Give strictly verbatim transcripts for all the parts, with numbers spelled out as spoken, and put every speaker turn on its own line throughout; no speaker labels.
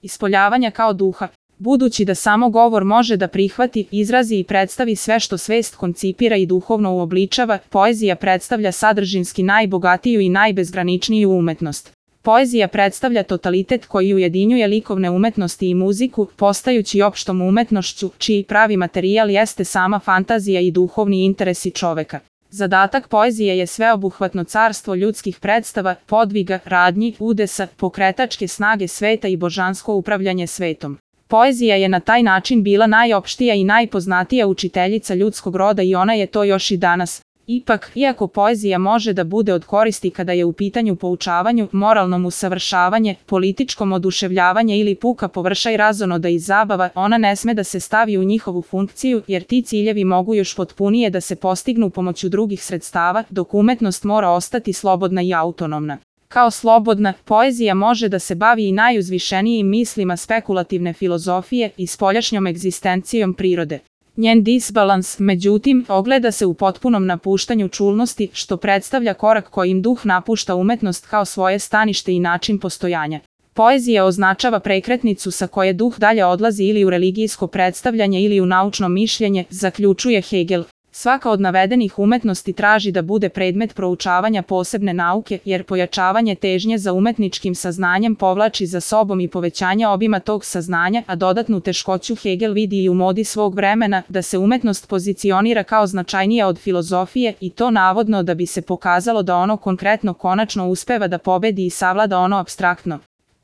ispoljavanja kao duha. Budući da samo govor može da prihvati, izrazi i predstavi sve što svest koncipira i duhovno uobličava, poezija predstavlja sadržinski najbogatiju i najbezgraničniju umetnost. Poezija predstavlja totalitet koji ujedinjuje likovne umetnosti i muziku, postajući opštom umetnošću, čiji pravi materijal jeste sama fantazija i duhovni interesi čoveka. Zadatak poezije je sveobuhvatno carstvo ljudskih predstava, podviga, radnji, udesa, pokretačke snage sveta i božansko upravljanje svetom. Poezija je na taj način bila najopštija i najpoznatija učiteljica ljudskog roda i ona je to još i danas. Ipak, iako poezija može da bude od koristi kada je u pitanju poučavanju, moralnom usavršavanje, političkom oduševljavanje ili puka površaj razonoda i zabava, ona ne sme da se stavi u njihovu funkciju, jer ti ciljevi mogu još potpunije da se postignu pomoću drugih sredstava, dok umetnost mora ostati slobodna i autonomna. Kao slobodna, poezija može da se bavi i najuzvišenijim mislima spekulativne filozofije i spoljašnjom egzistencijom prirode. Njen disbalans, međutim, ogleda se u potpunom napuštanju čulnosti, što predstavlja korak kojim duh napušta umetnost kao svoje stanište i način postojanja. Poezija označava prekretnicu sa koje duh dalje odlazi ili u religijsko predstavljanje ili u naučno mišljenje, zaključuje Hegel. Svaka od navedenih umetnosti traži da bude predmet proučavanja posebne nauke, jer pojačavanje težnje za umetničkim saznanjem povlači za sobom i povećanje obima tog saznanja, a dodatnu teškoću Hegel vidi i u modi svog vremena da se umetnost pozicionira kao značajnija od filozofije i to navodno da bi se pokazalo da ono konkretno konačno uspeva da pobedi i savlada ono apstraktno.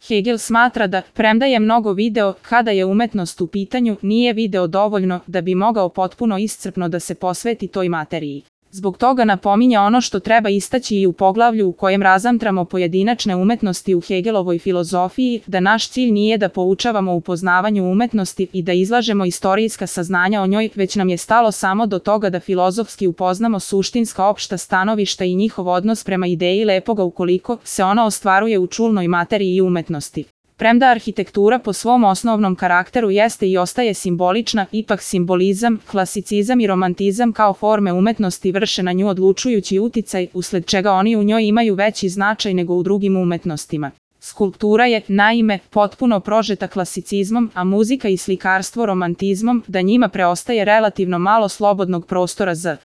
Hegel smatra da, premda je mnogo video, kada je umetnost u pitanju, nije video dovoljno da bi mogao potpuno iscrpno da se posveti toj materiji. Zbog toga napominje ono što treba istaći i u poglavlju u kojem razmatramo pojedinačne umetnosti u Hegelovoj filozofiji, da naš cilj nije da poučavamo u poznavanju umetnosti i da izlažemo istorijska saznanja o njoj, već nam je stalo samo do toga da filozofski upoznamo suštinska opšta stanovišta i njihov odnos prema ideji lepoga ukoliko se ona ostvaruje u čulnoj materiji i umetnosti. Premda arhitektura po svom osnovnom karakteru jeste i ostaje simbolična, ipak simbolizam, klasicizam i romantizam kao forme umetnosti vrše na nju odlučujući uticaj, usled čega oni u njoj imaju veći značaj nego u drugim umetnostima. Skulptura je, naime, potpuno prožeta klasicizmom, a muzika i slikarstvo romantizmom, da njima preostaje relativno malo slobodnog prostora za